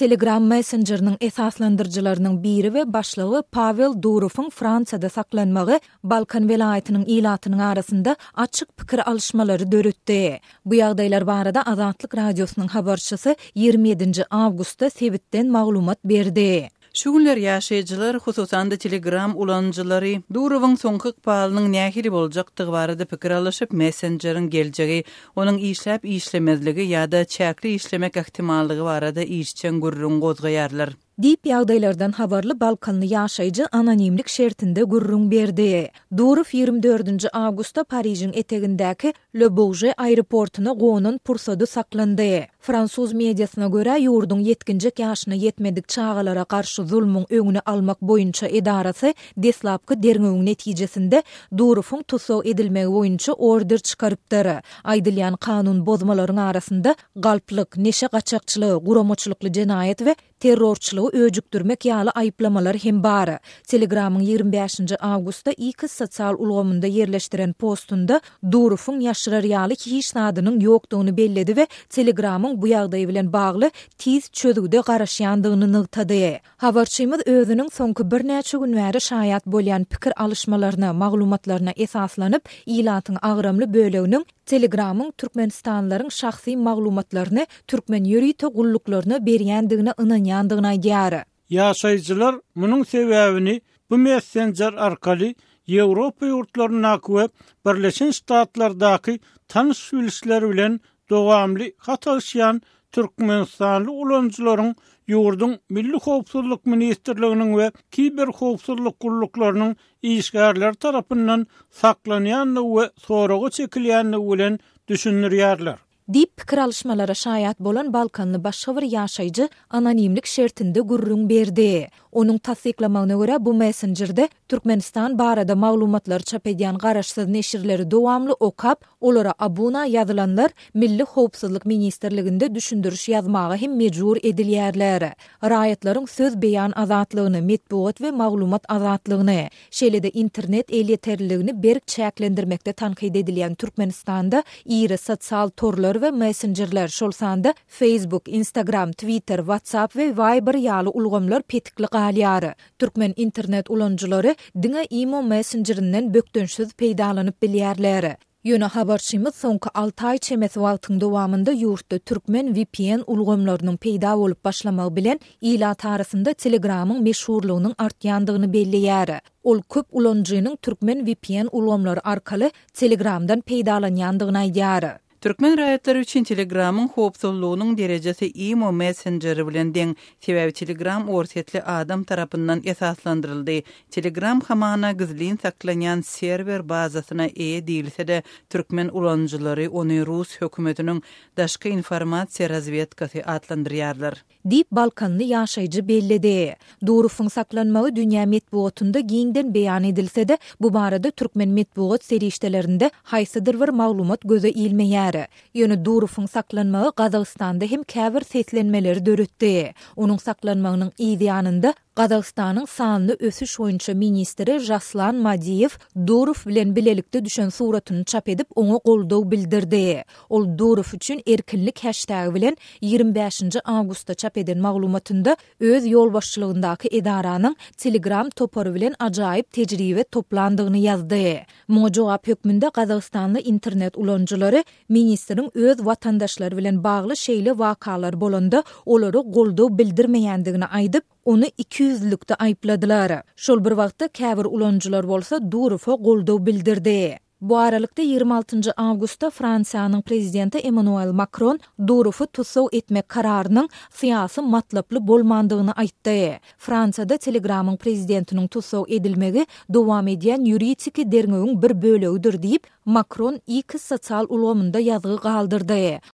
Telegram messenjeriniň esaslandyryjylarynyň biri we başlygy Pawel Durowyň Fransiýada saklanmagy Balkan welaýatynyň ilatynyň arasynda açyk pikir alyşmalary döretdi. Bu ýagdaýlar barada Azatlyk Radiosynyň habarçysy 27-nji awgustda sebitden maglumat berdi. Şu günler ýaşaýjylar, hususan-da Telegram ulanyjylary Durowyň soňky ykbalynyň nähili boljakdygy barada pikir alyşyp, messenjeriň geljegi, onuň işläp-işlemezligi ýa-da çäkli işlemek ähtimallygy barada işjeň gürrüň gozgaýarlar. Diýip, ýagdaýlardan habarly balkanly ýaşaýjy anonimlik şertinde gürrüň berdi. Durow 24-nji awgustda Parižiň etegindäki Le Bourget aeroportuna gonan pursady saklandy. Fransuz mediasyna görä, ýurduň ýetginjek ýaşyna ýetmedik çagalara garşy zulmuň öňüni almak boýunça edarasy deslapky derňewiň netijesinde Durowyň tussag edilmegi boýunça order çykarypdyr. Aýdylýan kanun bozmalaryň arasynda galplyk, neşe gaçakçylygy, guramaçylykly jenaýat we terrorçylygy öjükdirmek ýaly aýyplamalar hem bar. Telegramyň 25-nji awgustda X sosial ulgamynda ýerleşdiren postunda Durowyň ýaşyrar ýaly hiç zadynyň ýokdugyny belledi we Telegramyň bu ýagdaý bilen bagly tiz çözgüde garaşýandygyny nygtady. Habarçymyz özüniň soňky birnäçe gün bäri şaýat bolýan pikir alyşmalaryna, maglumatlaryna esaslanyp, ilatyň agramly böleginiň Telegramyň türkmenistanlylaryň şahsy maglumatlaryny türkmen ýörite gulluklaryna berýändigine ynanýandygyny aýdýar. Ýaşaýjylar munuň sebäbini bu messenjer arkaly Ýewropa ýurtlaryndaky we Birleşen Ştatlardaky tanyş-bilişleri bilen dowamly hat alyşýan türkmenistanly ulanyjylaryň ýurduň Milli howpsuzlyk ministrliginiň we kiberhowpsuzlyk gulluklarynyň işgärleri tarapyndan saklanýandygy we soraga çekilýändigi bilen düşündirýärler. Diýip, pikir alyşmalara şaýat bolan balkanly başga bir ýaşaýjy anonimlik şertinde gürrüň berdi. Onuň tassyklamagyna görä, bu messenjerde Türkmenistan barada maglumatlary çap edýän garaşsyz neşirleri dowamly okap, olara abuna ýazylanlar Milli howpsuzlyk ministrliginde düşündiriş ýazmaga hem mejbur edilýärler. Raýatlaryň söz beýan azatlygyny, metbugat we maglumat azatlygyny, şeýle-de internet elýeterliligini berk çäklendirmekde tankyt edilýän Türkmenistanda iri sosial torlar we messenjerler, şol sanda Facebook, Instagram, Twitter, WhatsApp we Viber ýaly ulgamlar petikli galýar. Türkmen internet ulanyjylary diňe imo messenjerinden bökdençsiz peýdalanyp bilýärler. Ýöne habarçymyz soňky alty aý çemesi wagtyň dowamynda ýurtda türkmen vpn ulgamlarynyň peýda bolup başlamagy bilen ilat arasynda Telegramyň meşhurlygynyň artýandygyny belleýär. Ol köp ulanyjynyň türkmen vpn ulgamlary arkaly Telegramdan peýdalanýandygyny aýdýar. Türkmen raýatlary üçin Telegramyň howpsuzlygynyň derejesi imo messenjeri bilen deň, sebäbi Telegram orsýetli adam tarapyndan esaslandyryldy. Telegram hamana gizlin saklanýan serwer bazasyna eýe diýilse-de, türkmen ulanyjylary ony rus hökümetiniň daşky informasiýa razwedkasy atlandyrýarlar. Diýip, balkanly ýaşaýjy belledi. Durowyň saklanmagy dünýä metbugatynda giňden beýan edilse-de, bu barada türkmen metbugat serişdelerinde haýsydyr bir maglumat göze ilmeýär. Ýöne Durowyň saklanmagy Gazagystanda hem käbir seslenmeleri döretdi. Onuň saklanmagynyň yz ýanynda Gazagystanyň sanly ösüş boýunça ministri Žaslan Madiýew Durow bilen bilelikde düşen suratyny çap edip, oňa goldaw bildirdi. Ol Durow üçin erkinlik heştegi bilen 25-nji awgustda çap eden maglumatynda öz ýolbaşçylygyndaky edaranyň Telegram topary bilen ajaýyp tejribe toplandygyny ýazdy. Muňa jogap hökmünde gazagystanly internet ulanyjylary ministriň öz watandaşlary bilen bagly şeýle wakalar bolanda olara goldaw bildirmeýändigini aýdyp, ony ikiýüzlülikde aýypladylar. Şol bir wagtda käbir ulanyjylar bolsa Durowa goldaw bildirdi. Bu aralykda, 26 njy awgustda Fransiýanyň prezidenti Emmanuel Makron Durowy tussag etmek kararynyň syýasy matlaply bolmandygyny aýtdy. Fransiýada Telegramyň prezidentiniň tussag edilmegi dowam edýän ýuridiki derňewiň bir bölegidir diýip, Makron X sosial ulgamynda ýazgy galdyrdy.